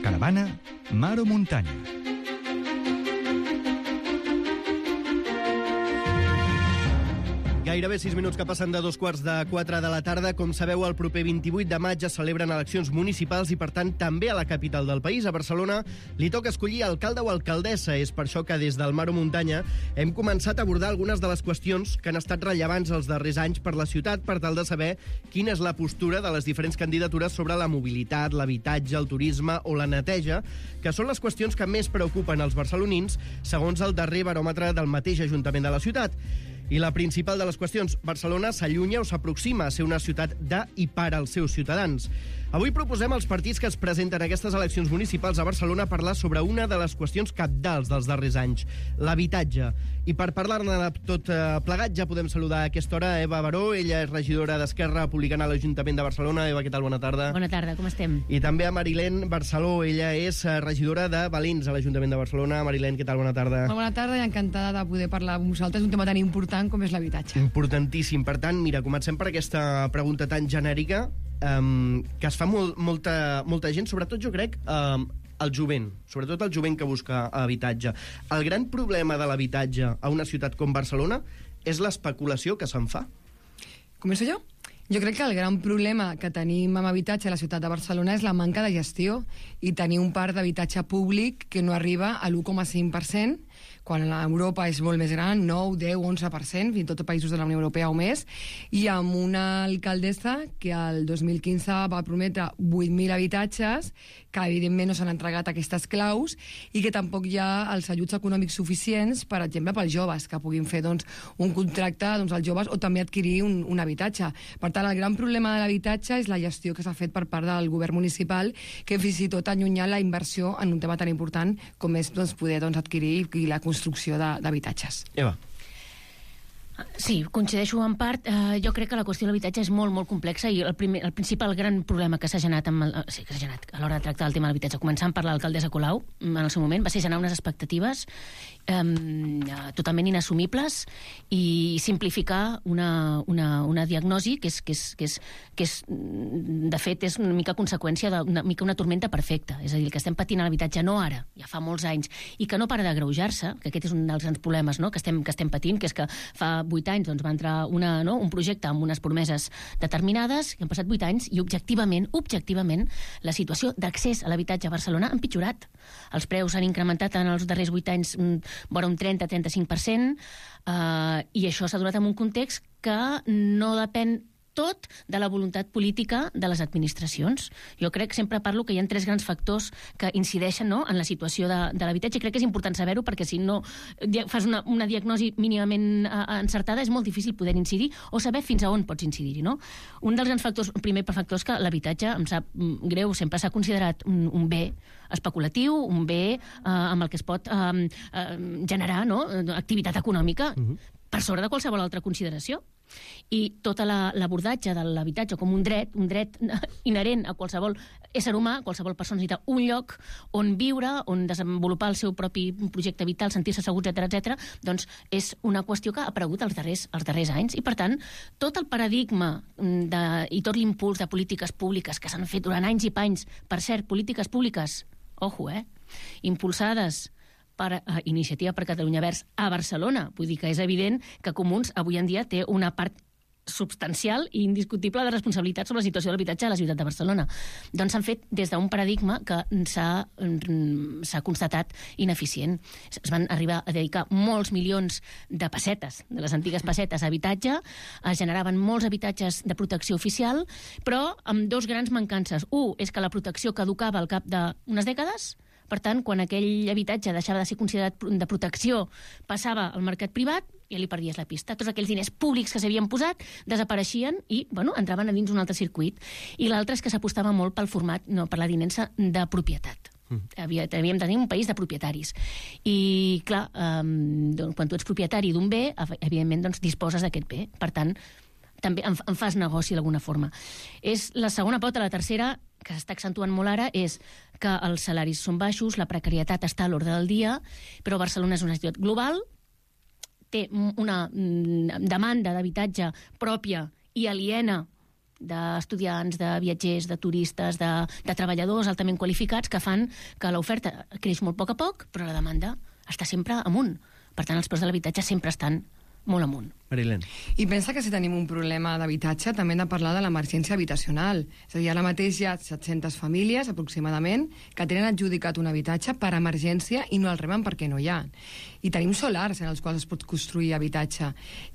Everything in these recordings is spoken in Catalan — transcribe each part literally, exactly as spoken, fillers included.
caravana, mar o muntanya. Gairebé sis minuts que passen de dos quarts de quatre de la tarda. Com sabeu, el proper vint-i-vuit de maig es celebren eleccions municipals i, per tant, també a la capital del país, a Barcelona, li toca escollir alcalde o alcaldessa. És per això que des del Mar o Muntanya hem començat a abordar algunes de les qüestions que han estat rellevants els darrers anys per la ciutat, per tal de saber quina és la postura de les diferents candidatures sobre la mobilitat, l'habitatge, el turisme o la neteja, que són les qüestions que més preocupen els barcelonins, segons el darrer baròmetre del mateix Ajuntament de la ciutat. I la principal de les qüestions, Barcelona s'allunya o s'aproxima a ser una ciutat de i per als seus ciutadans. Avui proposem als partits que es presenten a aquestes eleccions municipals a Barcelona parlar sobre una de les qüestions cabdals dels darrers anys, l'habitatge. I per parlar-ne de tot plegat ja podem saludar a aquesta hora Eva Baró. Ella és regidora d'Esquerra Republicana a l'Ajuntament de Barcelona. Eva, què tal? Bona tarda. Bona tarda, com estem? I també a Marilén Barceló. Ella és regidora de Valins a l'Ajuntament de Barcelona. Marilén, què tal? Bona tarda. Molt bona tarda i encantada de poder parlar amb vosaltres d'un tema tan important com és l'habitatge. Importantíssim. Per tant, mira, comencem per aquesta pregunta tan genèrica um, que es fa molt, molta, molta gent, sobretot jo crec um, el jovent, sobretot el jovent que busca habitatge. El gran problema de l'habitatge a una ciutat com Barcelona és l'especulació que se'n fa. Començo jo? Jo crec que el gran problema que tenim amb habitatge a la ciutat de Barcelona és la manca de gestió i tenir un parc d'habitatge públic que no arriba a l'u coma cinc per cent, quan a Europa és molt més gran, nou, deu, onze per cent, fins i tot països de la Unió Europea o més, i amb una alcaldessa que el dos mil quinze va prometre vuit mil habitatges, que evidentment no s'han entregat aquestes claus, i que tampoc hi ha els ajuts econòmics suficients, per exemple, pels joves, que puguin fer doncs, un contracte doncs, als joves o també adquirir un, un habitatge. Per tant, el gran problema de l'habitatge és la gestió que s'ha fet per part del govern municipal, que fins i tot ha allunyat la inversió en un tema tan important com és doncs, poder doncs, adquirir i la construcció d'habitatges. Eva. Sí, coincideixo en part. Uh, jo crec que la qüestió de l'habitatge és molt, molt complexa i el, primer, el principal gran problema que s'ha generat, amb el, sí, que s'ha generat a l'hora de tractar el tema de l'habitatge, començant per l'alcaldessa Colau, en el seu moment, va ser generar unes expectatives um, totalment inassumibles i simplificar una, una, una diagnosi que és, que, és, que, és, que és, de fet, és una mica conseqüència d'una mica una tormenta perfecta. És a dir, el que estem patint a l'habitatge no ara, ja fa molts anys, i que no para d'agreujar-se, que aquest és un dels grans problemes, no?, que estem, que estem patint, que és que fa vuit anys doncs, va entrar una, no, un projecte amb unes promeses determinades, que han passat vuit anys i objectivament, objectivament, la situació d'accés a l'habitatge a Barcelona ha empitjorat. Els preus s'han incrementat en els darrers vuit anys vora un trenta a trenta-cinc per cent eh, i això s'ha donat en un context que no depèn tot de la voluntat política de les administracions. Jo crec que sempre parlo que hi ha tres grans factors que incideixen, no?, en la situació de, de l'habitatge, i crec que és important saber-ho perquè si no fas una, una diagnosi mínimament uh, encertada és molt difícil poder incidir o saber fins a on pots incidir-hi, no? Un dels grans factors, el primer factor és que l'habitatge, em sap greu, sempre s'ha considerat un, un bé especulatiu, un bé uh, amb el que es pot uh, uh, generar, no?, activitat econòmica uh-huh. per sobre de qualsevol altra consideració. I tot l'abordatge de l'habitatge com un dret, un dret inherent a qualsevol ésser humà, qualsevol persona necessita un lloc on viure, on desenvolupar el seu propi projecte vital, sentir-se segur, etcètera, etcètera, doncs és una qüestió que ha aparegut els darrers, els darrers anys i, per tant, tot el paradigma de, i tot l'impuls de polítiques públiques que s'han fet durant anys i panys, per cert, polítiques públiques, ojo, eh, impulsades per uh, Iniciativa per Catalunya Verds a Barcelona. Vull dir que és evident que Comuns avui en dia té una part substancial i indiscutible de responsabilitat sobre la situació de l'habitatge a la ciutat de Barcelona. Doncs s'han fet des d'un paradigma que s'ha constatat ineficient. Es van arribar a dedicar molts milions de pessetes, de les antigues pessetes, a habitatge, es generaven molts habitatges de protecció oficial, però amb dos grans mancances. Un és que la protecció caducava al cap d'unes dècades. Per tant, quan aquell habitatge deixava de ser considerat de protecció, passava al mercat privat, i ja li perdies la pista. Tots aquells diners públics que s'havien posat desapareixien i, bueno, entraven a dins un altre circuit. I l'altre és que s'apostava molt pel format, no, per la tinença de propietat. Mm. Havia, havíem de tenir un país de propietaris. I, clar, um, doncs, quan tu ets propietari d'un bé, evidentment, doncs, disposes d'aquest bé. Per tant, també en, en fas negoci d'alguna forma. És la segona pota. La tercera, que s'està accentuant molt ara, és que els salaris són baixos, la precarietat està a l'ordre del dia, però Barcelona és una ciutat global, té una demanda d'habitatge pròpia i aliena d'estudiants, de viatgers, de turistes, de, de treballadors altament qualificats que fan que l'oferta creix molt a poc a poc, però la demanda està sempre amunt. Per tant, els preus de l'habitatge sempre estan molt amunt. Marilén. I pensa que si tenim un problema d'habitatge també hem de parlar de l'emergència habitacional. És a dir, ara mateix hi ha set-centes famílies, aproximadament, que tenen adjudicat un habitatge per emergència i no el reben perquè no hi ha. I tenim solars en els quals es pot construir habitatge.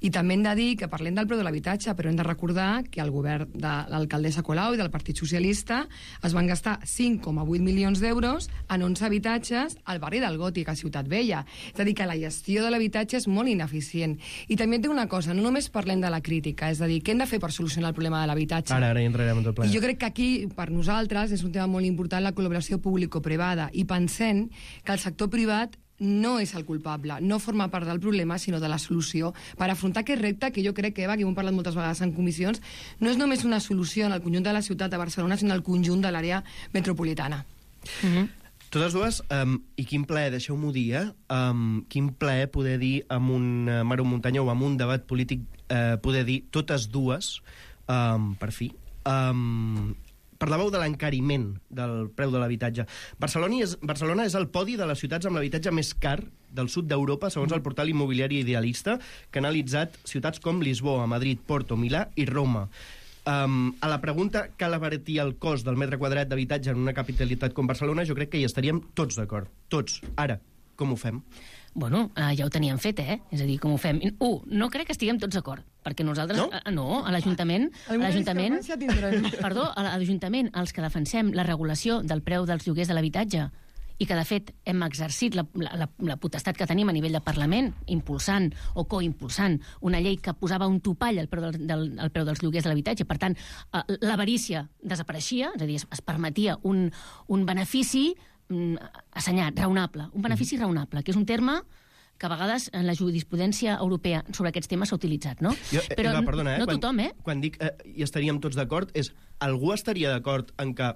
I també hem de dir que parlem del preu de l'habitatge, però hem de recordar que el govern de l'alcaldessa Colau i del Partit Socialista es van gastar cinc coma vuit milions d'euros en onze habitatges al barri del Gòtic, a Ciutat Vella. És a dir, que la gestió de l'habitatge és molt ineficient. I també et dic una cosa, no només parlem de la crítica, és a dir, què hem de fer per solucionar el problema de l'habitatge? Ara, ara hi entrarem en tot ple. I jo crec que aquí, per nosaltres, és un tema molt important la col·laboració público-privada, i pensem que el sector privat no és el culpable, no forma part del problema, sinó de la solució, per afrontar aquest repte que jo crec que, Eva, que ho hem parlat moltes vegades en comissions, no és només una solució en el conjunt de la ciutat de Barcelona, sinó el conjunt de l'àrea metropolitana. Mm-hmm. Totes dues, um, i quin plaer, deixeu-m'ho dir, eh? um, quin plaer poder dir amb un uh, Mar o Muntanya o amb un debat polític, uh, poder dir totes dues, um, per fi. Um, parlàveu de l'encariment del preu de l'habitatge. Barcelona és, Barcelona és el podi de les ciutats amb l'habitatge més car del sud d'Europa, segons el portal immobiliari Idealista, que ha analitzat ciutats com Lisboa, Madrid, Porto, Milà i Roma. Um, a la pregunta cal abaratir el cost del metre quadrat d'habitatge en una capitalitat com Barcelona, jo crec que hi estaríem tots d'acord. Tots. Ara, com ho fem? Bueno, uh, ja ho teníem fet, eh? És a dir, com ho fem? Un, no crec que estiguem tots d'acord, perquè nosaltres... No? Uh, no, a l'Ajuntament... a l'Ajuntament, perdó, a l'Ajuntament, els que defensem la regulació del preu dels lloguers de l'habitatge, i que, de fet, hem exercit la, la, la potestat que tenim a nivell de Parlament, impulsant o coimpulsant una llei que posava un topall al preu, del, del, al preu dels lloguers de l'habitatge. Per tant, eh, l'avarícia desapareixia, és a dir, es, es permetia un, un benefici mm, assenyat, raonable, un benefici raonable, que és un terme que a vegades en la jurisprudència europea sobre aquests temes s'ha utilitzat, no? Jo, eh, Però Eva, perdona, eh? no quan, tothom, eh? Quan dic eh, hi estaríem tots d'acord, és algú estaria d'acord en que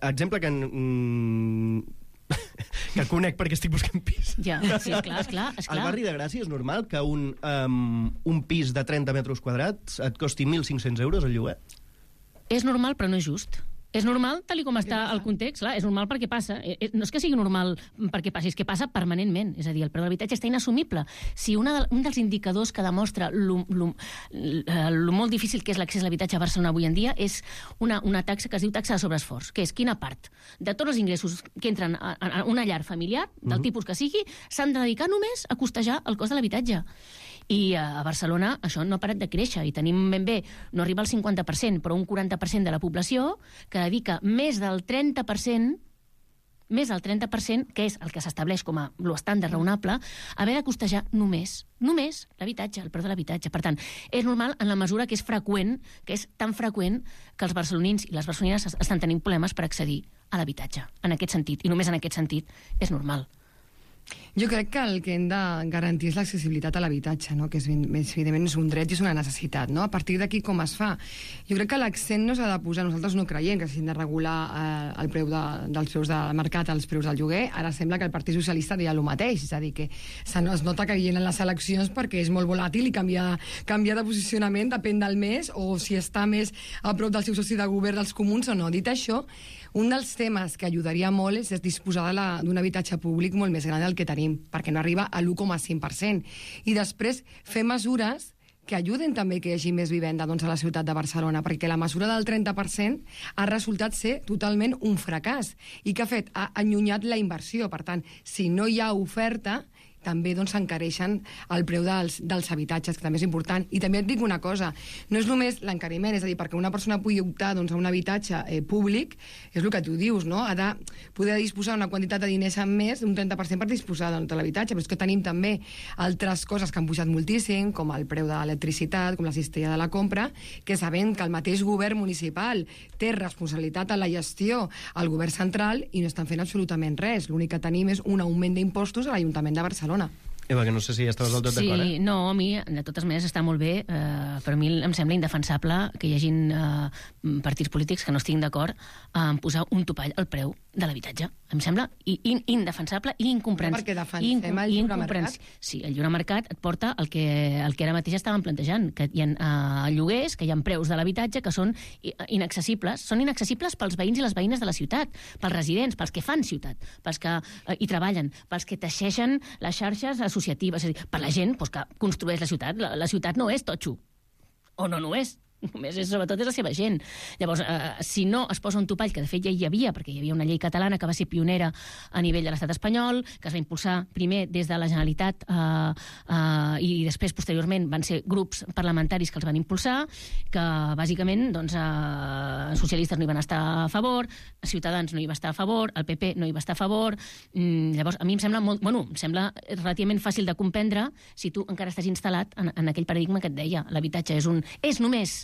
exemple que mm, que conec perquè estic buscant pis. Ja, sí, esclar, esclar, esclar. Al barri de Gràcia és normal que un, um, un pis de trenta metres quadrats et costi mil cinc-cents euros el lloguer? És normal, però no és just. És normal, tal com està el context, clar, és normal perquè passa. No és que sigui normal perquè passi, és que passa permanentment. És a dir, el preu de l'habitatge està inassumible. Si una de, un dels indicadors que demostra lo, lo, lo molt difícil que és l'accés a l'habitatge a Barcelona avui en dia és una, una taxa que es diu taxa de sobreesforç, que és quina part de tots els ingressos que entren a, a una llar familiar, del uh-huh. tipus que sigui, s'han de dedicar només a costejar el cost de l'habitatge. I a Barcelona això no ha parat de créixer i tenim ben bé, no arriba al cinquanta per cent, però un quaranta per cent de la població que dedica més del trenta per cent, més del trenta per cent, que és el que s'estableix com a l'estàndard raonable, haver de costejar només, només l'habitatge, el preu de l'habitatge. Per tant, és normal en la mesura que és freqüent, que és tan freqüent que els barcelonins i les barcelonines estan tenint problemes per accedir a l'habitatge. En aquest sentit, i només en aquest sentit, és normal. Jo crec que el que hem de garantir és l'accessibilitat a l'habitatge, no? Que és, evidentment és un dret i és una necessitat. No? A partir d'aquí com es fa? Jo crec que l'accent no s'ha de posar, nosaltres no creiem que s'hagin de regular eh, el preu de, dels preus del mercat als preus del lloguer. Ara sembla que el Partit Socialista deia el mateix, és a dir, que es nota que vienen les eleccions perquè és molt volàtil i canvia, canvia de posicionament, depèn del mes, o si està més a prop del seu soci de govern dels comuns o no. Dit això, un dels temes que ajudaria molt és, és disposar d'un habitatge públic molt més gran del que tenim, perquè no arriba a l'u coma cinc per cent. I després fer mesures que ajuden també que hi hagi més vivenda doncs, a la ciutat de Barcelona, perquè la mesura del trenta per cent ha resultat ser totalment un fracàs i que ha fet, ha allunyat la inversió. Per tant, si no hi ha oferta, també doncs, s'encareixen el preu dels, dels habitatges, que també és important. I també et dic una cosa, no és només l'encariment, és a dir, perquè una persona pugui optar doncs, a un habitatge eh, públic, és el que tu dius, no? Ha de poder disposar una quantitat de diners en més, un trenta per cent per disposar doncs, de l'habitatge, però és que tenim també altres coses que han pujat moltíssim, com el preu de l'electricitat, com la cistella de la compra, que sabem que el mateix govern municipal té responsabilitat en la gestió al govern central i no estan fent absolutament res. L'únic que tenim és un augment d'impostos a l'Ajuntament de Barcelona. Eva, que no sé si estaves del tot sí, d'acord, eh? Sí, no, a mi, de totes maneres, està molt bé. Eh, per mi em sembla indefensable que hi hagin eh, partits polítics que no estiguin d'acord en posar un topall al preu de l'habitatge. Em sembla in, indefensable i incomprensible. Perquè defensem el lliure mercat. Sí, el lliure mercat et porta el que, el que ara mateix estàvem plantejant, que hi ha uh, lloguers, que hi ha preus de l'habitatge que són inaccessibles. Són inaccessibles pels veïns i les veïnes de la ciutat, pels residents, pels que fan ciutat, pels que uh, hi treballen, pels que teixeixen les xarxes associatives, és a dir, per la gent pues, que construeix la ciutat. La, la ciutat no és totxo, o no no és. Només és, sobretot és la seva gent. Llavors, eh, si no es posa un topall, que de fet ja hi havia, perquè hi havia una llei catalana que va ser pionera a nivell de l'estat espanyol, que es va impulsar primer des de la Generalitat eh, eh, i després, posteriorment, van ser grups parlamentaris que els van impulsar, que bàsicament doncs, eh, socialistes no hi van estar a favor, Ciutadans no hi va estar a favor, el P P no hi va estar a favor. Mm, llavors, a mi em sembla molt, bueno, em sembla relativament fàcil de comprendre si tu encara estàs instal·lat en, en aquell paradigma que et deia. L'habitatge és un és només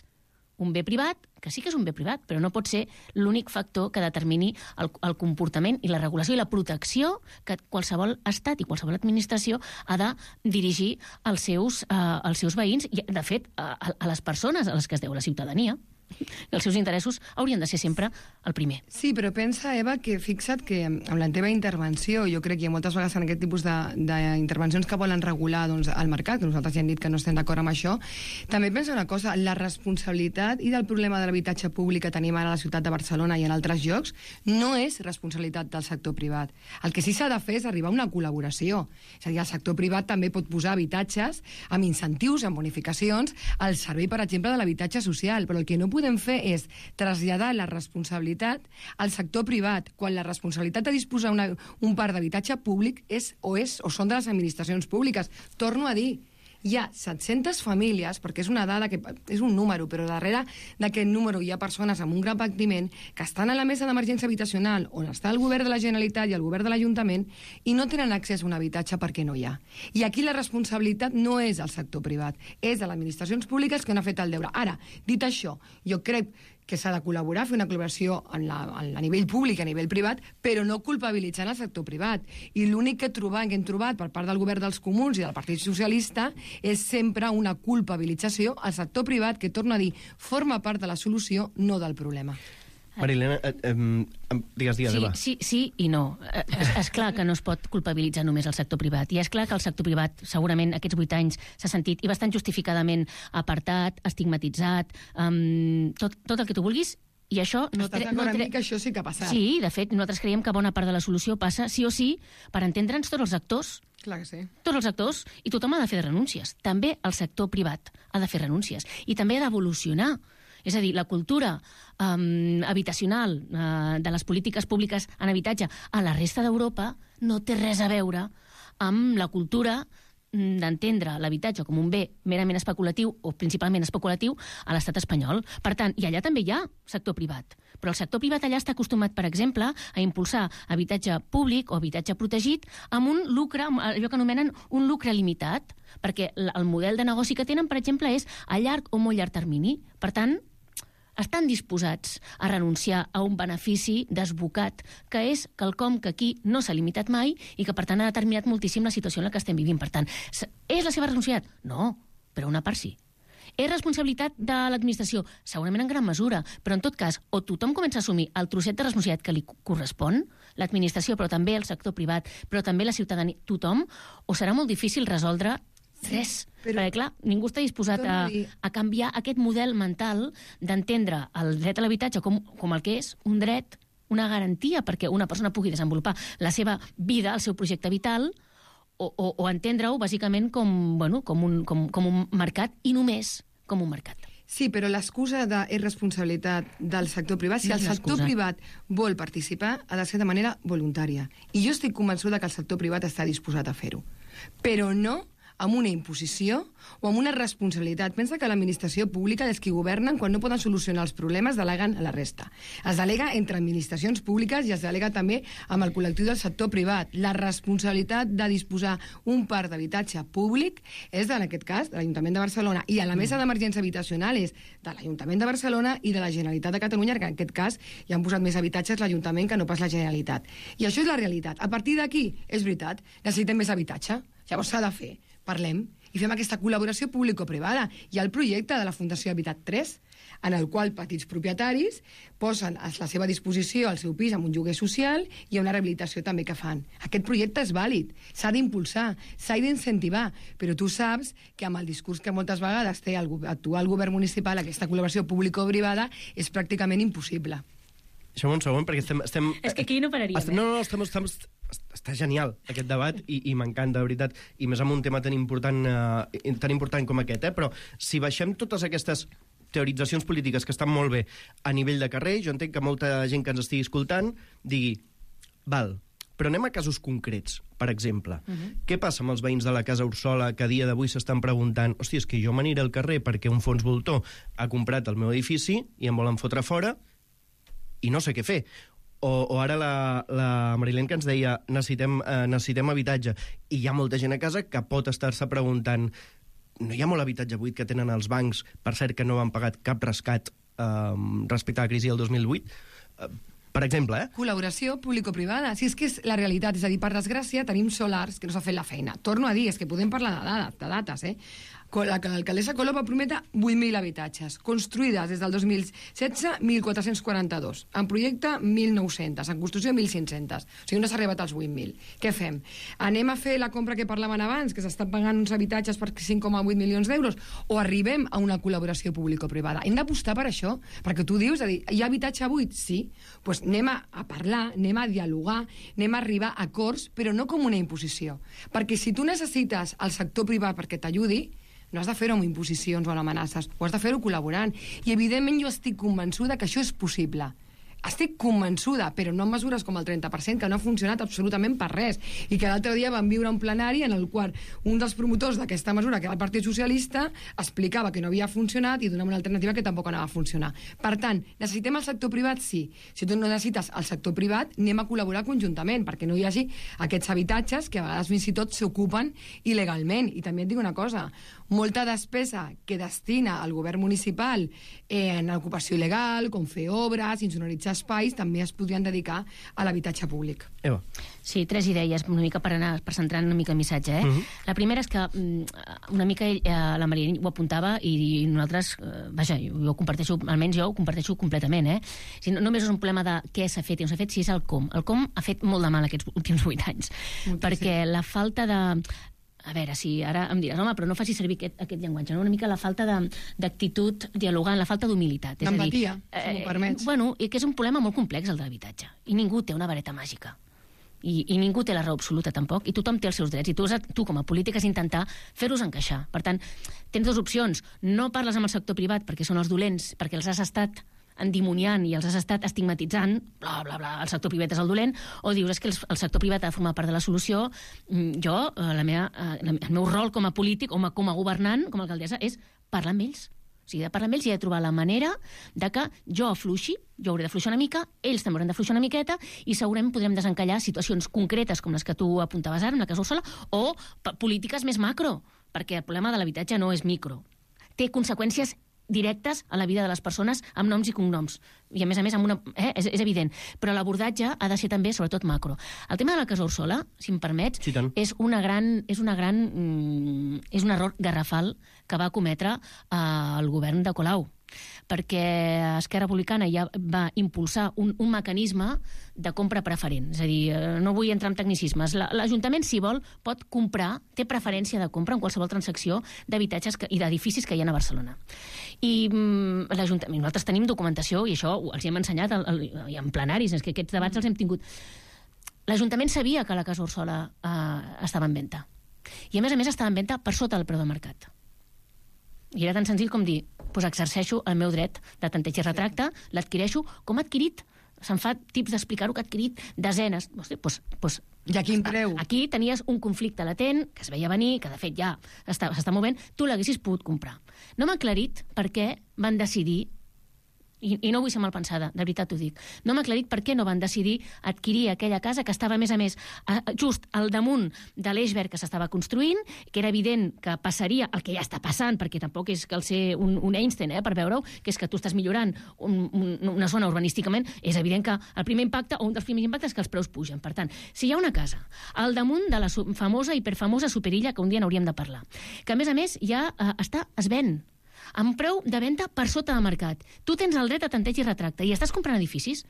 un bé privat, que sí que és un bé privat, però no pot ser l'únic factor que determini el, el comportament i la regulació i la protecció que qualsevol estat i qualsevol administració ha de dirigir als seus, uh, als seus veïns i, de fet, a, a les persones a les que es deu la ciutadania. Els seus interessos haurien de ser sempre el primer. Sí, però pensa, Eva, que fixa't que amb la teva intervenció, jo crec que moltes vegades en aquest tipus d'intervencions que volen regular doncs, el mercat, que nosaltres ja hem dit que no estem d'acord amb això, també pensa una cosa, la responsabilitat i del problema de l'habitatge públic que tenim ara a la ciutat de Barcelona i en altres llocs no és responsabilitat del sector privat. El que sí s'ha de fer és arribar a una col·laboració. És a dir, el sector privat també pot posar habitatges amb incentius, amb bonificacions, al servei, per exemple, de l'habitatge social, però el que no podem fer és traslladar la responsabilitat al sector privat, quan la responsabilitat de disposar una, un parc d'habitatge públic és o, és o són de les administracions públiques. Torno a dir, hi ha set-centes famílies, perquè és una dada que és un número, però darrere d'aquest número hi ha persones amb un gran patiment que estan a la mesa d'emergència habitacional on està el govern de la Generalitat i el govern de l'Ajuntament i no tenen accés a un habitatge perquè no hi ha. I aquí la responsabilitat no és del sector privat, és de les administracions públiques que no han fet el deure. Ara, dit això, jo crec que s'ha de col·laborar, fer una col·laboració en la, en a nivell públic, a nivell privat, però no culpabilitzant el sector privat. I l'únic que, trobam, que hem trobat per part del govern dels comuns i del Partit Socialista és sempre una culpabilització al sector privat, que, torno a dir, forma part de la solució, no del problema. Marilena, eh, eh, digues, digues, sí, Eva. Sí, sí i no. És, és clar que no es pot culpabilitzar només el sector privat. I és clar que el sector privat, segurament, aquests vuit anys s'ha sentit, i bastant justificadament, apartat, estigmatitzat, um, tot, tot el que tu vulguis, i això... No Estàs d'acord amb mi que això sí que ha passat? Sí, de fet, nosaltres creiem que bona part de la solució passa, sí o sí, per entendre'ns tots els actors. Clar que sí. Tots els actors, i tothom ha de fer renúncies. També el sector privat ha de fer renúncies. I també ha d'evolucionar. És a dir, la cultura um, habitacional uh, de les polítiques públiques en habitatge a la resta d'Europa no té res a veure amb la cultura d'entendre l'habitatge com un bé merament especulatiu o principalment especulatiu a l'estat espanyol. Per tant, i allà també hi ha sector privat. Però el sector privat allà està acostumat, per exemple, a impulsar habitatge públic o habitatge protegit amb un lucre, allò que anomenen un lucre limitat, perquè el model de negoci que tenen, per exemple, és a llarg o molt llarg termini. Per tant, estan disposats a renunciar a un benefici desbocat, que és quelcom que aquí no s'ha limitat mai i que, per tant, ha determinat moltíssim la situació en la que estem vivint. Per tant, és la seva responsabilitat? No, però una part sí. És responsabilitat de l'administració? Segurament en gran mesura, però en tot cas, o tothom comença a assumir el trosset de responsabilitat que li correspon, l'administració, però també el sector privat, però també la ciutadania, tothom, o serà molt difícil resoldre res. Però, perquè, clar, ningú està disposat a, a canviar aquest model mental d'entendre el dret a l'habitatge com, com el que és un dret, una garantia perquè una persona pugui desenvolupar la seva vida, el seu projecte vital, o, o, o entendre-ho bàsicament com, bueno, com, un, com, com un mercat i només com un mercat. Sí, però l'excusa de és responsabilitat del sector privat. Si el sector privat vol participar, ha de ser de manera voluntària. I jo estic convençuda que el sector privat està disposat a fer-ho. Però no amb una imposició o amb una responsabilitat. Pensa que l'administració pública és qui governen quan no poden solucionar els problemes, deleguen a la resta. Es delega entre administracions públiques i es delega també amb el col·lectiu del sector privat. La responsabilitat de disposar un parc d'habitatge públic és, en aquest cas, de l'Ajuntament de Barcelona, i a la mesa d'emergència habitacional és de l'Ajuntament de Barcelona i de la Generalitat de Catalunya, que en aquest cas hi han posat més habitatges l'Ajuntament que no pas la Generalitat. I això és la realitat. A partir d'aquí, és veritat, necessitem més habitatge. Llavors s'ha de fer. Parlem i fem aquesta col·laboració público-privada. Hi ha el projecte de la Fundació Habitat tres, en el qual petits propietaris posen a la seva disposició el seu pis amb un lloguer social i una rehabilitació també que fan. Aquest projecte és vàlid, s'ha d'impulsar, s'ha d'incentivar, però tu saps que amb el discurs que moltes vegades té el actual govern municipal, aquesta col·laboració público-privada és pràcticament impossible. Deixa'm un segon, perquè estem... estem és que aquí no pararíem, estem, eh? No, no, estem, estem, està genial aquest debat i, i m'encanta, de veritat, i més amb un tema tan important, eh, tan important com aquest, eh? Però si baixem totes aquestes teoritzacions polítiques que estan molt bé a nivell de carrer, jo entenc que molta gent que ens estigui escoltant digui, val, però anem a casos concrets, per exemple. Uh-huh. Què passa amb els veïns de la Casa Ursola que a dia d'avui s'estan preguntant, hòstia, és que jo m'aniré al carrer perquè un fons voltor ha comprat el meu edifici i em volen fotre fora i no sé què fer. O, o ara la, la Marilén que ens deia necessitem, eh, necessitem habitatge i hi ha molta gent a casa que pot estar-se preguntant, no hi ha molt habitatge buit que tenen els bancs, per cert que no han pagat cap rescat eh, respecte a la crisi del dos mil vuit, eh, per exemple, eh? Col·laboració público-privada. Si és que és la realitat, és a dir, per desgràcia, tenim solars que no s'ha fet la feina. Torno a dir, és que podem parlar de dades, de dates, eh? L'alcaldessa Colom va prometre vuit mil habitatges, construïdes des del dos mil setze, mil quatre-cents quaranta-dos, en projecte mil nou-cents, en construcció mil cinc-cents. O sigui, no s'ha arribat als vuit mil. Què fem? Anem a fer la compra que parlaven abans, que s'estan pagant uns habitatges per cinc coma vuit milions d'euros, o arribem a una col·laboració público-privada? Hem d'apostar per això, perquè tu dius, és a dir, hi ha habitatge buit? Sí. Doncs pues anem a, a parlar, anem a dialogar, anem a arribar a acords, però no com una imposició. Perquè si tu necessites el sector privat perquè t'ajudi, no has de fer-ho amb imposicions o amb amenaces, ho has de fer-ho col·laborant. I, evidentment, jo estic convençuda que això és possible. Estic convençuda, però no en mesures com el trenta per cent, que no ha funcionat absolutament per res. I que l'altre dia vam viure un plenari en el qual un dels promotors d'aquesta mesura, que era el Partit Socialista, explicava que no havia funcionat i donava una alternativa que tampoc anava a funcionar. Per tant, necessitem el sector privat? Sí. Si tu no necessites el sector privat, anem a col·laborar conjuntament, perquè no hi hagi aquests habitatges que a vegades fins i tot s'ocupen il·legalment. I també et dic una cosa, molta despesa que destina el govern municipal en ocupació il·legal, com fer obres, insonoritzar espais, també es podrien dedicar a l'habitatge públic. Eva. Sí, tres idees, una mica per anar, per centrar una mica el missatge, eh? Uh-huh. La primera és que una mica ell, eh, la Maria ho apuntava i, i nosaltres, eh, vaja, jo ho comparteixo, almenys jo ho comparteixo completament, eh? Si no, només és un problema de què s'ha fet i no s'ha fet, si és el com. El com ha fet molt de mal aquests últims vuit anys, Moltíssim. perquè la falta de... A veure, si ara em diràs, home, però no faci servir aquest, aquest llenguatge, no? Una mica la falta d'actitud dialogant, la falta d'humilitat. D'empatia, eh, si m'ho permets. Bueno, i que és un problema molt complex, el de l'habitatge. I ningú té una vareta màgica. I, i ningú té la raó absoluta, tampoc, i tothom té els seus drets, i tu, tu com a polític has d'intentar fer-los encaixar. Per tant, tens dues opcions. No parles amb el sector privat perquè són els dolents, perquè els has estat endimoniant i els has estat estigmatitzant, bla, bla, bla, el sector privat és el dolent, o dius és que el, el sector privat ha de formar part de la solució. Jo, la meva, el meu rol com a polític, o com a governant, com a alcaldessa, és parlar amb ells. O sigui, de parlar amb ells i de trobar la manera de que jo afluixi, jo hauré d'afluixar una mica, ells també hauran d'afluixar una miqueta, i segurament podrem desencallar situacions concretes com les que tu apuntaves ara, en la Casa Ursola, o polítiques més macro, perquè el problema de l'habitatge no és micro. Té conseqüències directes a la vida de les persones amb noms i cognoms. I, a més a més, amb una, eh, és, és evident. Però l'abordatge ha de ser també, sobretot, macro. El tema de la Casa Ursola, si em permets, sí, és una gran... És, una gran mm, és un error garrafal que va cometre eh, el govern de Colau, perquè Esquerra Republicana ja va impulsar un, un mecanisme de compra preferent. És a dir, no vull entrar en tecnicismes. L'Ajuntament, si vol, pot comprar, té preferència de compra en qualsevol transacció d'habitatges i d'edificis que hi ha a Barcelona. I mm, l'Ajuntament, nosaltres tenim documentació, i això els hi hem ensenyat al, al, en plenaris, és que aquests debats els hem tingut. L'Ajuntament sabia que la Casa Ursola eh, estava en venda. I, a més a més, estava en venda per sota del preu de mercat. I era tan senzill com dir, doncs exerceixo el meu dret de tanteig i retracte, l'adquireixo com ha adquirit, se'n fa tips d'explicar-ho, que ha adquirit desenes. Hosti, doncs, doncs, I a quin preu? Aquí tenies un conflicte latent, que es veia venir, que de fet ja s'està movent, tu l'haguessis pogut comprar. No m'ha aclarit per què van decidir i, i no vull ser malpensada, de veritat ho dic, no m'ha aclarit per què no van decidir adquirir aquella casa que estava, a més a més, a, just al damunt de l'eix verd que s'estava construint, que era evident que passaria el que ja està passant, perquè tampoc és cal ser un, un Einstein, eh, per veure-ho, que és que tu estàs millorant un, un, una zona urbanísticament, és evident que el primer impacte, o un dels primers impactes, és que els preus pugen. Per tant, si hi ha una casa al damunt de la famosa, hiperfamosa Superilla, que un dia n'hauríem de parlar, que a més a més ja eh, està, es ven amb preu de venda per sota del mercat. Tu tens el dret a tanteig i retracte i estàs comprant edificis?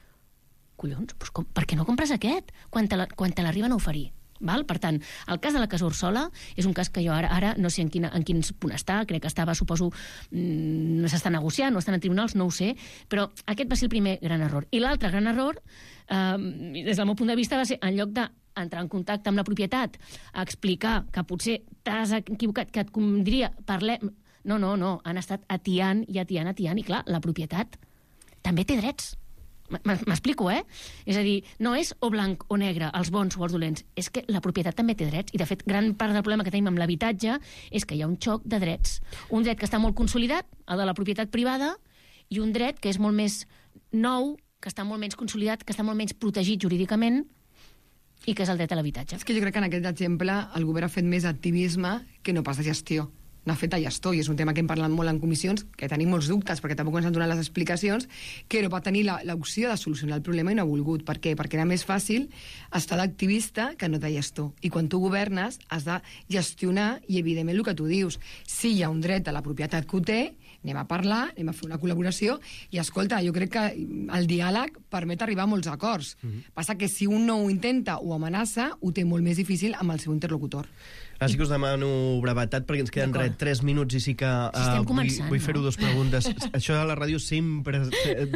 Collons, doncs com, per què no compres aquest quan te, la, quan te l'arriben a oferir? Val? Per tant, el cas de la Casa Orsola és un cas que jo ara, ara no sé en, quina, en quin punt està, crec que estava, suposo, mmm, s'està negociant, no estan en tribunals, no ho sé, però aquest va ser el primer gran error. I l'altre gran error, eh, des del meu punt de vista, va ser, en lloc de entrar en contacte amb la propietat, a explicar que potser t'has equivocat, que et diria, parlem... No, no, no, han estat atiant i atiant, atiant, i clar, la propietat també té drets. M'explico, eh? És a dir, no és o blanc o negre, els bons o els dolents, és que la propietat també té drets, i de fet, gran part del problema que tenim amb l'habitatge és que hi ha un xoc de drets. Un dret que està molt consolidat, el de la propietat privada, i un dret que és molt més nou, que està molt menys consolidat, que està molt menys protegit jurídicament, i que és el dret a l'habitatge. És que jo crec que en aquest exemple el govern ha fet més activisme que no pas de gestió. N'ha fet a gestor, i és un tema que hem parlat molt en comissions, que tenim molts dubtes, perquè tampoc ens han donat les explicacions, que no va tenir l'opció de solucionar el problema i no ha volgut. Per què? Perquè era més fàcil estar d'activista que no de gestor. I quan tu governes, has de gestionar, i evidentment el que tu dius, si hi ha un dret a la propietat que ho té, anem a parlar, anem a fer una col·laboració, i escolta, jo crec que el diàleg permet arribar a molts acords. Mm-hmm. Passa que si un no ho intenta o amenaça, ho té molt més difícil amb el seu interlocutor. Ara sí que us demano brevetat, perquè ens queden res, tres minuts, i sí que uh, si vull, vull fer-ho no? dues preguntes. Això a la ràdio sempre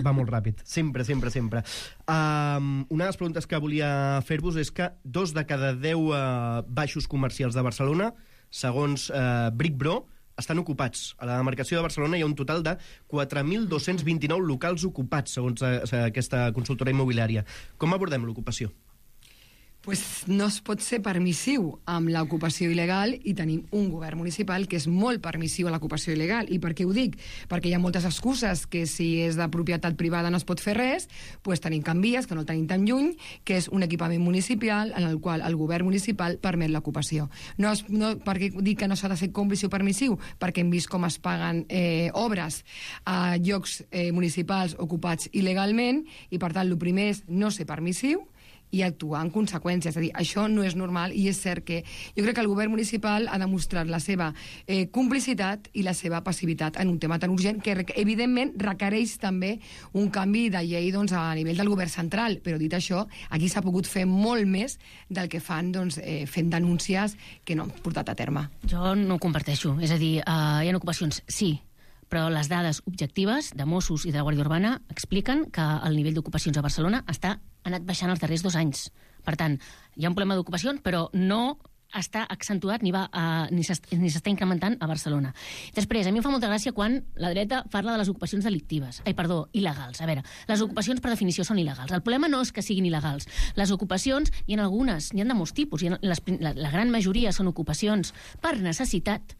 va molt ràpid. Sempre, sempre, sempre. Um, una de les preguntes que volia fer-vos és que dos de cada deu uh, baixos comercials de Barcelona, segons uh, Brickbro, estan ocupats. A la demarcació de Barcelona hi ha un total de quatre mil dos-cents vint-i-nou locals ocupats, segons uh, aquesta consultora immobiliària. Com abordem l'ocupació? Pues no es pot ser permissiu amb l'ocupació il·legal, i tenim un govern municipal que és molt permissiu a l'ocupació il·legal. I per què ho dic? Perquè hi ha moltes excuses, que si és de propietat privada no es pot fer res, pues tenim Can Vies, que no el tenim tan lluny, que és un equipament municipal en el qual el govern municipal permet l'ocupació. No, es, no, per què dic que no s'ha de ser còmplice o permissiu? Perquè hem vist com es paguen eh, obres a llocs eh, municipals ocupats il·legalment, i per tant el primer és no ser permissiu i actuar en conseqüència. És a dir, això no és normal, i és cert que jo crec que el govern municipal ha demostrat la seva eh, complicitat i la seva passivitat en un tema tan urgent, que evidentment requereix també un canvi de llei, doncs, a nivell del govern central. Però dit això, aquí s'ha pogut fer molt més del que fan, doncs, eh, fent denúncies que no han portat a terme. Jo no ho comparteixo. És a dir, eh, hi ha ocupacions, sí, però les dades objectives de Mossos i de la Guàrdia Urbana expliquen que el nivell d'ocupacions a Barcelona està anat baixant els darrers dos anys. Per tant, hi ha un problema d'ocupacions, però no està accentuat ni va a, ni s'està incrementant a Barcelona. Després, a mi em fa molta gràcia quan la dreta parla de les ocupacions delictives. Ai, perdó, il·legals. A veure, les ocupacions per definició són il·legals. El problema no és que siguin il·legals. Les ocupacions, hi ha algunes, n'hi ha de molts tipus. Hi ha, les, la, la gran majoria són ocupacions per necessitat,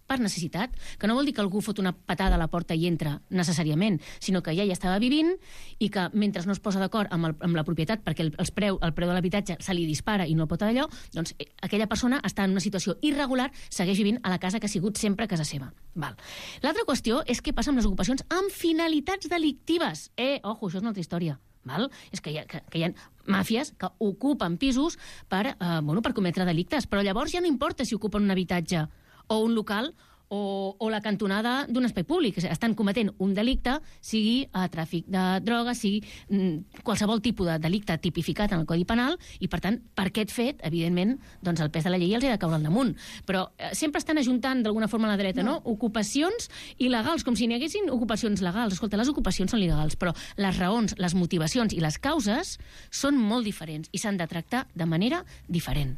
per necessitat, que no vol dir que algú fot una patada a la porta i entra necessàriament, sinó que ja hi estava vivint i que mentre no es posa d'acord amb, el, amb la propietat perquè el, els preu, el preu de l'habitatge se li dispara i no el pot allò, doncs aquella persona està en una situació irregular, segueix vivint a la casa que ha sigut sempre casa seva. Val. L'altra qüestió és què passa amb les ocupacions amb finalitats delictives. Eh, ojo, això és una altra història. Val? És que hi ha, que, que hi ha màfies que ocupen pisos per, eh, bueno, per cometre delictes, però llavors ja no importa si ocupen un habitatge o un local o, o la cantonada d'un espai públic. Estan cometent un delicte, sigui a tràfic de drogues, sigui mm, qualsevol tipus de delicte tipificat en el Codi Penal, i per tant, per aquest fet, evidentment, doncs el pes de la llei els ha de caure al damunt. Però eh, sempre estan ajuntant d'alguna forma a la dreta, no? no? Ocupacions il·legals, com si n'hi haguessin ocupacions legals. Escolta, les ocupacions són legals, però les raons, les motivacions i les causes són molt diferents i s'han de tractar de manera diferent.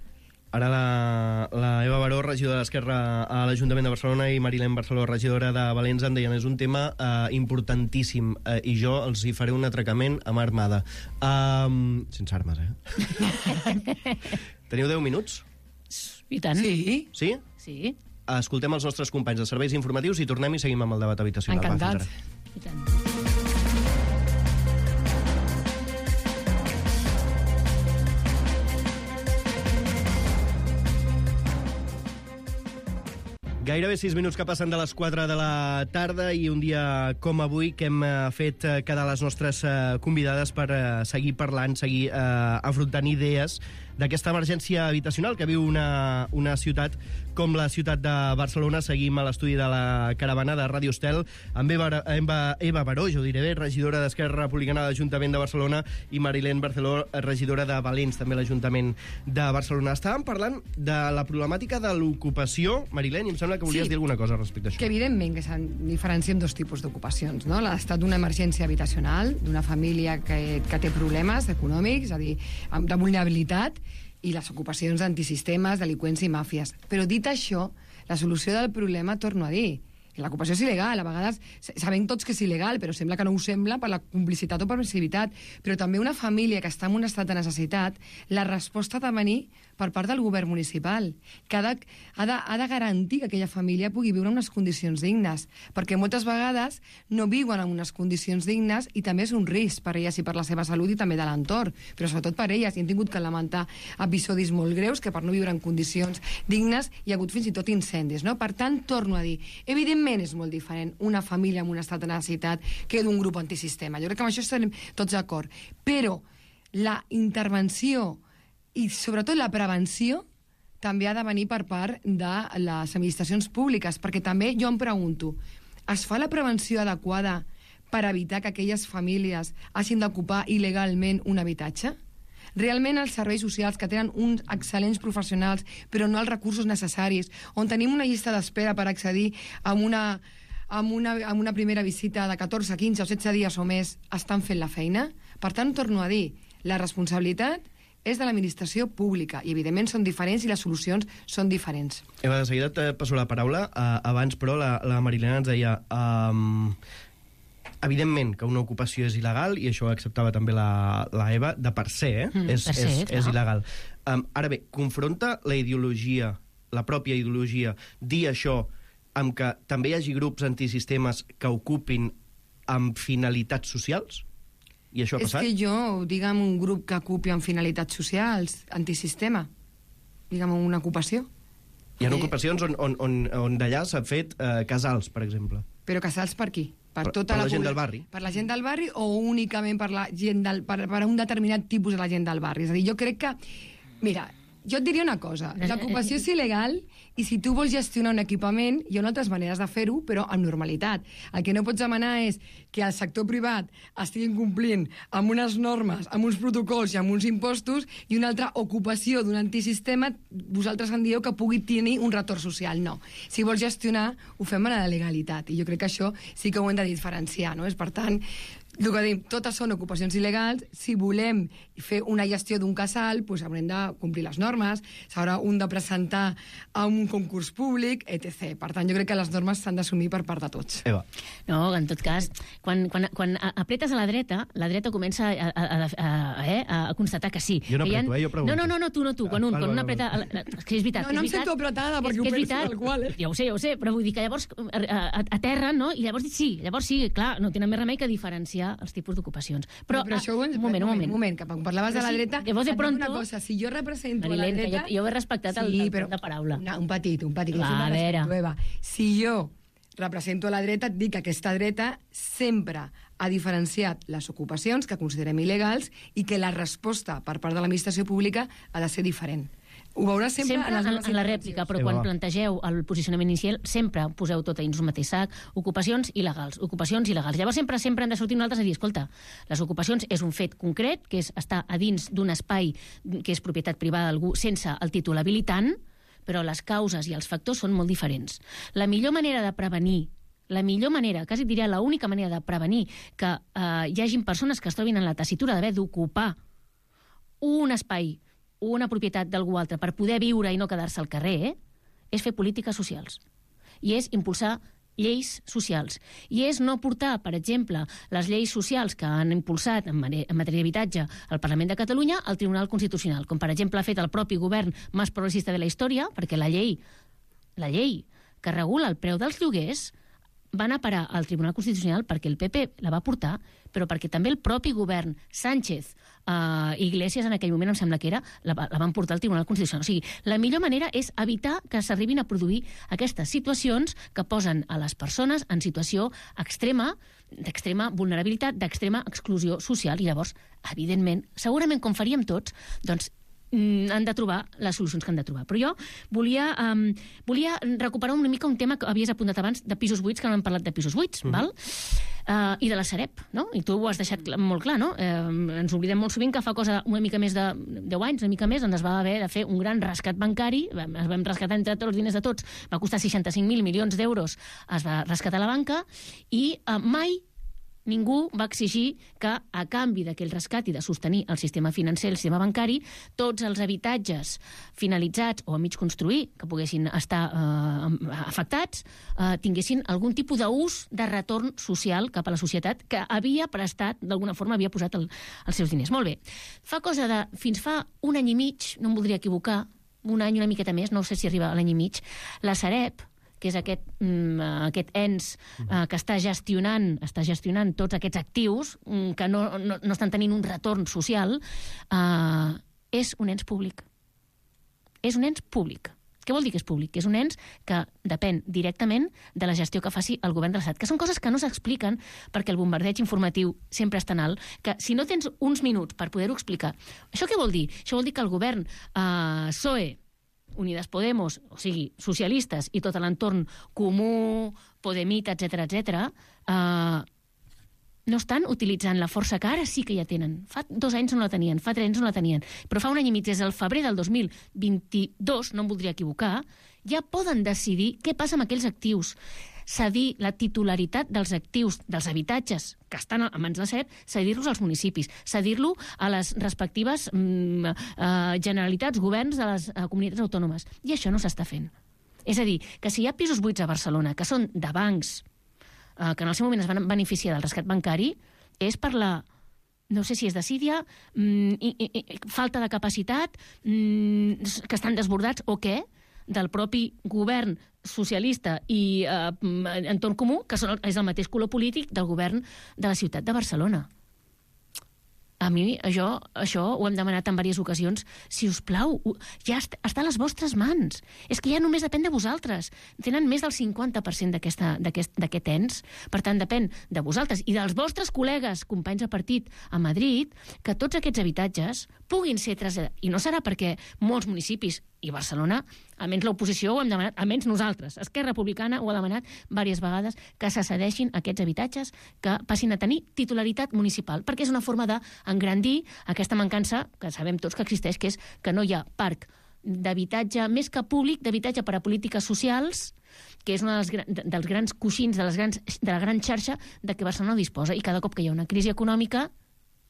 Ara la, la Eva Baró, regidora d'Esquerra a l'Ajuntament de Barcelona, i Marilén Barceló, regidora de Valens, em deien, és un tema eh, importantíssim, eh, i jo els hi faré un atracament a mà armada. Um, sense armes, eh? Teniu deu minuts? I tant. Sí. Sí? Sí. Escoltem els nostres companys de serveis informatius i tornem i seguim amb el debat habitacional. Encantat. I tant. Gairebé sis minuts que passen de les quatre de la tarda i un dia com avui que hem fet quedar les nostres convidades per seguir parlant, seguir eh, afrontant idees d'aquesta emergència habitacional que viu una, una ciutat com la ciutat de Barcelona. Seguim a l'estudi de la caravana de Ràdio Estel amb Eva, Eva, Eva Baró, jo diré bé, regidora d'Esquerra Republicana de l'Ajuntament de Barcelona, i Marilén Barceló, regidora de Valents, també l'Ajuntament de Barcelona. Estàvem parlant de la problemàtica de l'ocupació, Marilén, i em sembla que volies sí, dir alguna cosa respecte a això. Que evidentment que se'n diferencien dos tipus d'ocupacions, no? L'estat d'una emergència habitacional, d'una família que, que té problemes econòmics, és a dir, de vulnerabilitat, i les ocupacions d'antisistemes, delinqüents i màfies. Però dit això, la solució del problema, torno a dir, l'ocupació és il·legal, a vegades sabem tots que és il·legal, però sembla que no ho sembla per la complicitat o permissivitat. Però també una família que està en un estat de necessitat, la resposta ha de venir per part del govern municipal, que ha de, ha de, ha de garantir que aquella família pugui viure en unes condicions dignes, perquè moltes vegades no viuen en unes condicions dignes i també és un risc per elles i per la seva salut i també de l'entorn, però sobretot per elles. I hem tingut que lamentar episodis molt greus que per no viure en condicions dignes hi ha hagut fins i tot incendis, no? Per tant, torno a dir, evidentment és molt diferent una família en un estat de necessitat que d'un grup antisistema. Jo crec que amb això estarem tots d'acord. Però la intervenció i sobretot la prevenció també ha de venir per part de les administracions públiques, perquè també jo em pregunto, es fa la prevenció adequada per evitar que aquelles famílies hagin d'ocupar il·legalment un habitatge? Realment els serveis socials, que tenen uns excel·lents professionals però no els recursos necessaris, on tenim una llista d'espera per accedir a una, a una, a una primera visita de catorze, quinze o setze dies o més, estan fent la feina? Per tant, torno a dir, la responsabilitat és de l'administració pública, i evidentment són diferents i les solucions són diferents. Eva, de seguida et passo la paraula. Uh, abans, però, la, la Marilena ens deia um, evidentment que una ocupació és il·legal, i això ho acceptava també la, la Eva, de per se, eh? Mm, és, per se, és, clar. és il·legal. Um, ara bé, confronta la ideologia, la pròpia ideologia, dir això amb que també hi hagi grups antisistemes que ocupin amb finalitats socials? I això ha és passat? que jo, digue'm, un grup que ocupi amb finalitats socials, antisistema, digue'm, una ocupació. Hi ha Eh, ocupacions on, on, on, on d'allà s'ha fet eh, casals, per exemple. Però casals per qui? Per, Per- tota per la gent pobla- del barri. Per la gent del barri o únicament per, la gent del, per, per un determinat tipus de la gent del barri? És a dir, jo crec que... Mira, jo et diria una cosa. L'ocupació és il·legal i si tu vols gestionar un equipament, hi ha altres maneres de fer-ho, però amb normalitat. El que no pots demanar és que el sector privat estiguin complint amb unes normes, amb uns protocols i amb uns impostos, i una altra ocupació d'un antisistema, vosaltres en dieu que pugui tenir un retorn social. No. Si vols gestionar, ho fem a la legalitat. I jo crec que això sí que ho hem de diferenciar, no? És, per tant, el que dic, totes són ocupacions il·legals. Si volem fer una gestió d'un casal, doncs haurem de complir les normes, s'haurà un de presentar a un concurs públic, etcètera. Per tant, jo crec que les normes s'han d'assumir per part de tots. Eva. No, en tot cas, quan, quan, quan apretes a la dreta, la dreta comença a, a, a, a, eh, a constatar que sí. Jo no que hi ha... apreto, eh, jo pregunto. No, no, no, tu, no tu, quan un, Ah, quan val, un val, apreta... val. És que és veritat, No, és no em veritat. sento apretada, perquè És ho que és penso veritat. tal qual, eh? Ja ho sé, ja ho sé, però vull dir que llavors aterren, no? I llavors sí, llavors sí, clar, no tenen més remei que diferenciar els tipus d'ocupacions. Però, però això ho hem... un moment, un moment. Un moment, que quan parlaves Però de la sí, dreta... llavors de et dic pronto- una cosa, si jo represento Marilén, a la que dreta... jo- jo he respectat el- el torn de paraula. Una, un petit, un petit. Va, jo sempre a veure. respecto, Eva. Si jo represento a la dreta, et dic que aquesta dreta sempre ha diferenciat les ocupacions que considerem il·legals i que la resposta per part de l'administració pública ha de ser diferent. Ho veuràs sempre, Sempre en les en, meves en la intervencions. rèplica, però Sí, quan va. plantegeu el posicionament inicial, sempre poseu tot a dins un mateix sac, ocupacions il·legals, ocupacions il·legals. Llavors sempre sempre han de sortir nosaltres a dir, escolta, les ocupacions és un fet concret, que és estar a dins d'un espai que és propietat privada d'algú sense el títol habilitant, però les causes i els factors són molt diferents. La millor manera de prevenir la millor manera, quasi diria l'única manera de prevenir que eh, hi hagin persones que es trobin en la tessitura d'haver d'ocupar un espai, una propietat d'algú altre per poder viure i no quedar-se al carrer, eh? És fer polítiques socials. I és impulsar lleis socials. I és no portar, per exemple, les lleis socials que han impulsat en matèria d'habitatge al Parlament de Catalunya al Tribunal Constitucional, com per exemple ha fet el propi govern més progressista de la història, perquè la llei, la llei que regula el preu dels lloguers va anar a parar al Tribunal Constitucional perquè el P P la va portar, però perquè també el propi govern, Sánchez, uh, Iglesias en aquell moment, em sembla que era, la, la van portar al Tribunal Constitucional. O sigui, la millor manera és evitar que s'arribin a produir aquestes situacions que posen a les persones en situació extrema, d'extrema vulnerabilitat, d'extrema exclusió social. I llavors, evidentment, segurament com faríem tots, doncs han de trobar les solucions que han de trobar. Però jo volia, um, volia recuperar una mica un tema que havies apuntat abans de pisos buits, que no hem parlat de pisos buits, mm. val? Uh, i de la Sareb, no? I tu ho has deixat clar, molt clar, no? Uh, ens oblidem molt sovint que fa cosa una mica més de deu anys, una mica més, on es va haver de fer un gran rescat bancari, es vam rescatar entre tots els diners de tots, va costar seixanta-cinc mil milions d'euros, es va rescatar la banca, i uh, mai ningú va exigir que, a canvi d'aquell rescat i de sostenir el sistema financer, el sistema bancari, tots els habitatges finalitzats o a mig construir, que poguessin estar eh, afectats, eh, tinguessin algun tipus d'ús de retorn social cap a la societat que havia prestat, d'alguna forma havia posat el, els seus diners. Molt bé. Fa cosa de, fins fa un any i mig, no em voldria equivocar, un any, una miqueta més, no sé si arriba a l'any i mig, la Sareb, que és aquest, mm, aquest ens uh, que està gestionant, està gestionant tots aquests actius mm, que no, no, no estan tenint un retorn social, uh, és un ens públic. És un ens públic. Què vol dir que és públic? Que és un ens que depèn directament de la gestió que faci el govern de l'Estat, que són coses que no s'expliquen perquè el bombardeig informatiu sempre és tan alt que si no tens uns minuts per poder-ho explicar... Això què vol dir? Això vol dir que el govern uh, P S O E, Unidas Podemos, o sigui, socialistes i tot l'entorn comú, Podemita, etcètera, etcètera, eh, no estan utilitzant la força que ara sí que ja tenen. Fa dos anys no la tenien, fa tres anys no la tenien, però fa un any i mig, des del febrer del dos mil vint-i-dos, no em voldria equivocar, ja poden decidir què passa amb aquells actius. Cedir la titularitat dels actius, dels habitatges que estan a mans de Sareb, cedir-los als municipis, cedir-lo a les respectives mm, eh, generalitats, governs de les eh, comunitats autònomes. I això no s'està fent. És a dir, que si hi ha pisos buits a Barcelona que són de bancs, eh, que en el seu moment es van beneficiar del rescat bancari, és per la... no sé si és desídia, mm, i, i, i, falta de capacitat, mm, que estan desbordats o què, del propi govern socialista i eh, entorn comú, que són, és el mateix color polític del govern de la ciutat de Barcelona. A mi, això, això ho hem demanat en diverses ocasions. Si us plau, ja està a les vostres mans. És que ja només depèn de vosaltres. Tenen més del cinquanta per cent d'aquest ens. Per tant, depèn de vosaltres i dels vostres col·legues, companys de partit a Madrid, que tots aquests habitatges puguin ser traslladats. I no serà perquè molts municipis i Barcelona, almenys l'oposició ho hem demanat, almenys nosaltres. Esquerra Republicana ho ha demanat diverses vegades, que se cedeixin aquests habitatges, que passin a tenir titularitat municipal, perquè és una forma d'engrandir aquesta mancança, que sabem tots que existeix, que és que no hi ha parc d'habitatge, més que públic, d'habitatge per a polítiques socials, que és un dels, dels grans coixins de, les grans, de la gran xarxa de què Barcelona disposa. I cada cop que hi ha una crisi econòmica,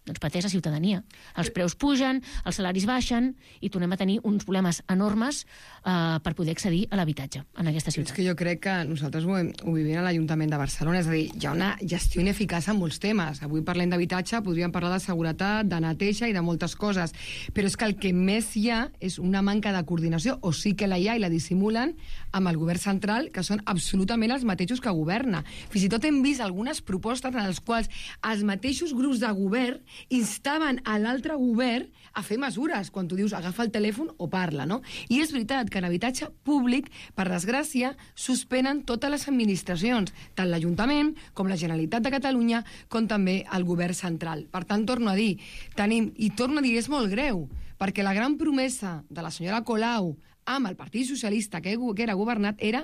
doncs pateix la ciutadania. Els preus pugen, els salaris baixen i tornem a tenir uns problemes enormes eh, per poder accedir a l'habitatge en aquesta ciutat. És que jo crec que nosaltres ho, ho vivim a l'Ajuntament de Barcelona, és a dir, hi ha una gestió ineficaç en molts temes. Avui parlem d'habitatge, podríem parlar de seguretat, de neteja i de moltes coses, però és que el que més hi ha és una manca de coordinació, o sí que la hi ha i la dissimulen, amb el govern central, que són absolutament els mateixos que governa. Fins i tot hem vist algunes propostes en les quals els mateixos grups de govern instaven a l'altre govern a fer mesures, quan tu dius agafa el telèfon o parla, no? I és veritat que en habitatge públic, per desgràcia, suspenen totes les administracions, tant l'Ajuntament com la Generalitat de Catalunya, com també el govern central. Per tant, torno a dir, tenim, i torno a dir, és molt greu, perquè la gran promesa de la senyora Colau amb el Partit Socialista que era governat era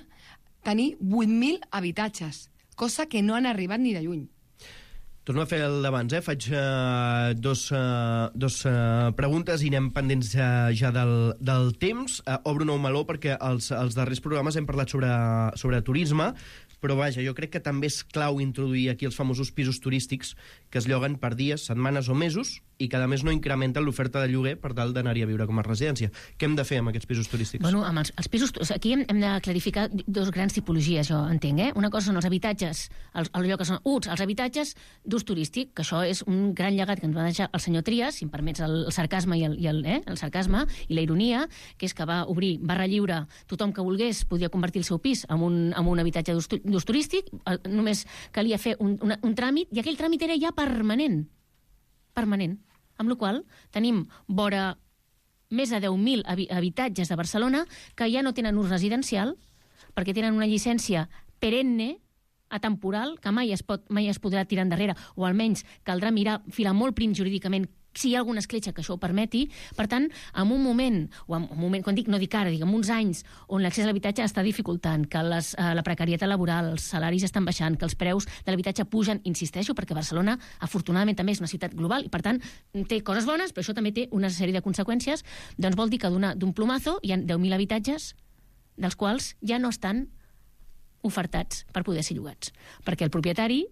tenir vuit mil habitatges, cosa que no han arribat ni de lluny. Torno a fer el d'abans, eh? Faig uh, dos, uh, dos uh, preguntes i anem pendents uh, ja del, del temps. Uh, obro un nou meló perquè els, els darrers programes hem parlat sobre, sobre turisme, però vaja, jo crec que també és clau introduir aquí els famosos pisos turístics que es lloguen per dies, setmanes o mesos i que a més no incrementen l'oferta de lloguer per tal d'anar-hi a viure com a residència. Què hem de fer amb aquests pisos turístics? Bueno, amb els, els pisos... Aquí hem, hem de clarificar dos grans tipologies, jo entenc, eh? Una cosa són els habitatges, el, allò que són uts, els habitatges d'ús turístic, que això és un gran llegat que ens va deixar el senyor Trias, si em permets el, el sarcasme i el, i el, eh? el sarcasme i la ironia, que és que va obrir barra lliure, tothom que volgués podia convertir el seu pis en un, en un habitatge d'ús turístic, només calia fer un, un, un tràmit, i aquell tràmit era ja permanent. Permanent. Amb la qual cosa tenim vora més de deu mil habitatges de Barcelona que ja no tenen ús residencial perquè tenen una llicència perenne, atemporal, que mai es, pot, mai es podrà tirar endarrere, o almenys caldrà mirar, filar molt prim jurídicament si hi ha alguna escletxa que això ho permeti. Per tant, en un moment, o en un moment, quan dic, no dic ara, diguem uns anys, on l'accés a l'habitatge està dificultant, que les, eh, la precarietat laboral, els salaris estan baixant, que els preus de l'habitatge pugen, insisteixo, perquè Barcelona, afortunadament, també és una ciutat global i, per tant, té coses bones, però això també té una sèrie de conseqüències, doncs vol dir que d'un plomazo hi ha deu mil habitatges, dels quals ja no estan ofertats per poder ser llogats. Perquè el propietari,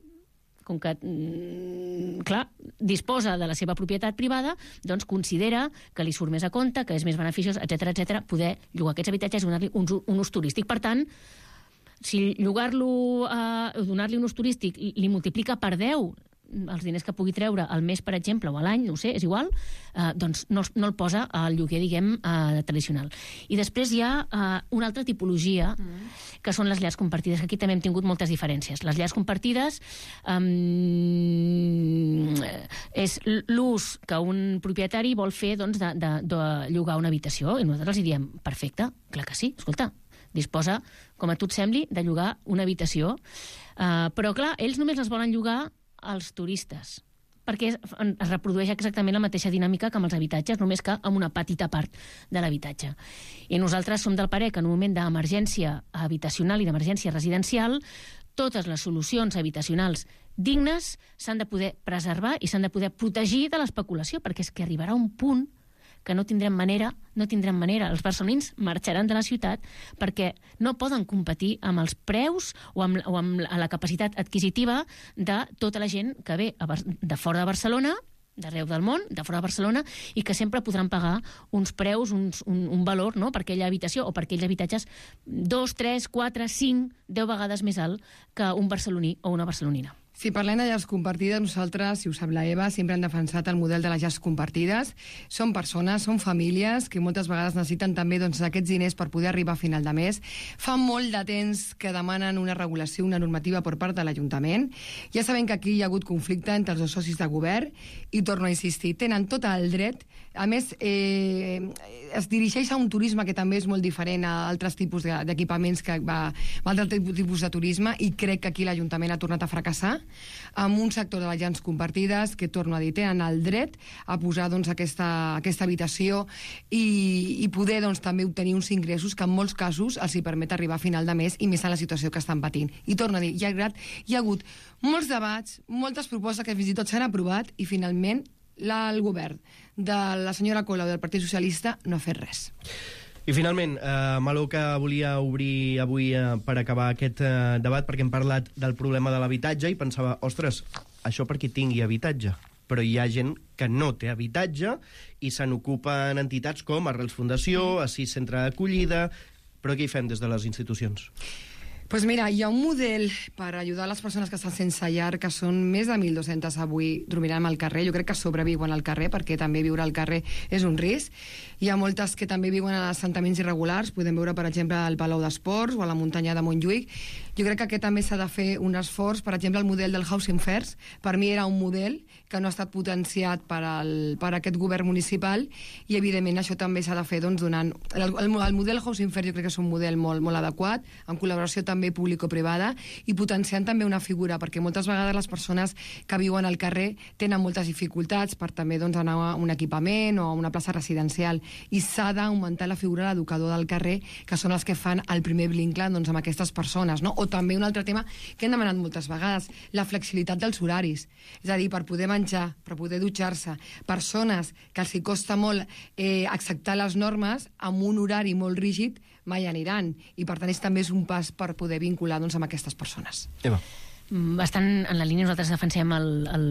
com que, mm, clar, disposa de la seva propietat privada, doncs considera que li surt més a compte, que és més beneficiós, etcètera, etcètera, poder llogar aquests habitatges i donar-li un, un ús turístic. Per tant, si llogar-lo, eh, donar-li un ús turístic li multiplica per deu els diners que pugui treure al mes, per exemple, o a l'any, no ho sé, és igual, eh, doncs no, no el posa al lloguer, diguem, eh, tradicional. I després hi ha eh, una altra tipologia, mm. que són les llars compartides, que aquí també hem tingut moltes diferències. Les llars compartides eh, és l'ús que un propietari vol fer, doncs, de, de, de llogar una habitació, i nosaltres els diem, perfecte, clar que sí, escolta, disposa, com a tu et sembli, de llogar una habitació, eh, però clar, ells només les volen llogar als turistes, perquè es, es reprodueix exactament la mateixa dinàmica que amb els habitatges, només que amb una petita part de l'habitatge. I nosaltres som del parer que en un moment d'emergència habitacional i d'emergència residencial, totes les solucions habitacionals dignes s'han de poder preservar i s'han de poder protegir de l'especulació, perquè és que arribarà un punt que no tindrem manera, no tindrem manera. Els barcelonins marxaran de la ciutat perquè no poden competir amb els preus o amb, o amb la capacitat adquisitiva de tota la gent que ve a, de fora de Barcelona, d'arreu del món, de fora de Barcelona, i que sempre podran pagar uns preus, uns, un, un valor, no?, per aquella habitació o per aquells habitatges dos, tres, quatre, cinc, deu vegades més alt que un barceloní o una barcelonina. Si parlem de llars compartides, nosaltres, si ho sap la Eva, sempre hem defensat el model de les llars compartides. Són persones, són famílies que moltes vegades necessiten també doncs, aquests diners per poder arribar a final de mes. Fa molt de temps que demanen una regulació, una normativa per part de l'Ajuntament. Ja sabem que aquí hi ha hagut conflicte entre els dos socis de govern i, torno a insistir, tenen tot el dret. A més, eh, es dirigeix a un turisme que també és molt diferent a altres tipus d'equipaments, que va a altres tipus de turisme, i crec que aquí l'Ajuntament ha tornat a fracassar amb un sector de les llars compartides que, torno a dir, tenen el dret a posar doncs, aquesta, aquesta habitació i, i poder doncs, també obtenir uns ingressos que en molts casos els hi permet arribar a final de mes, i més en la situació que estan patint. I torno a dir, hi ha, hi ha hagut molts debats, moltes propostes que fins i tot s'han aprovat, i finalment la, el govern de la senyora Colau del Partit Socialista no ha fet res. I finalment, eh, Malou, que volia obrir avui eh, per acabar aquest eh, debat, perquè hem parlat del problema de l'habitatge i pensava, ostres, això per qui tingui habitatge. Però hi ha gent que no té habitatge i se n'ocupen entitats com Arrels Fundació, Assís Centre d'Acollida. Però què hi fem des de les institucions? Pues mira, hi ha un model per ajudar les persones que estan sense llar, que són més de mil dos-centes avui dormiran al carrer. Jo crec que sobreviuen al carrer, perquè també viure al carrer és un risc. Hi ha moltes que també viuen en assentaments irregulars. Podem veure, per exemple, al Palau d'Esports o a la muntanya de Montjuïc. Jo crec que aquest també s'ha de fer un esforç. Per exemple, el model del Housing First, per mi era un model que no ha estat potenciat per, al, per aquest govern municipal, i evidentment això també s'ha de fer doncs, donant... El, el, el model Housing First jo crec que és un model molt, molt adequat, en col·laboració també público-privada, i potenciant també una figura, perquè moltes vegades les persones que viuen al carrer tenen moltes dificultats per també doncs, anar a un equipament o a una plaça residencial, i s'ha d'augmentar la figura de l'educador del carrer, que són els que fan el primer vincle doncs, amb aquestes persones, no? O també un altre tema que hem demanat moltes vegades, la flexibilitat dels horaris. És a dir, per poder menjar, per poder dutxar-se, persones que els hi costa molt eh, acceptar les normes, amb un horari molt rígid mai aniran, i per tant és, també és un pas per poder vincular doncs, amb aquestes persones. Eva. Bastant en la línia, nosaltres defensem el, el,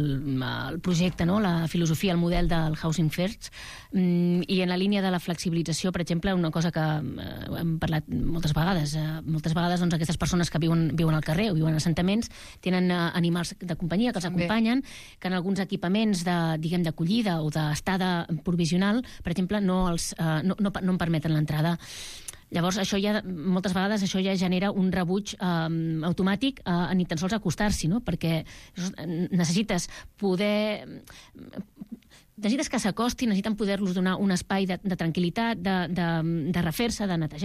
el projecte, no? La filosofia, el model del Housing First, i en la línia de la flexibilització, per exemple, una cosa que eh, hem parlat moltes vegades, eh, moltes vegades doncs, aquestes persones que viuen, viuen al carrer o viuen en assentaments tenen eh, animals de companyia que els acompanyen, que en alguns equipaments de, diguem, d'acollida o d'estada provisional, per exemple, no, els, eh, no, no, no en permeten l'entrada. Llavors, això ja, moltes vegades això ja genera un rebuig eh, automàtic a, a ni tan sols acostar-s'hi, no? Perquè necessites poder... Necessites que s'acostin, necessiten poder-los donar un espai de, de tranquil·litat, de, de, de refer-se, de netejar,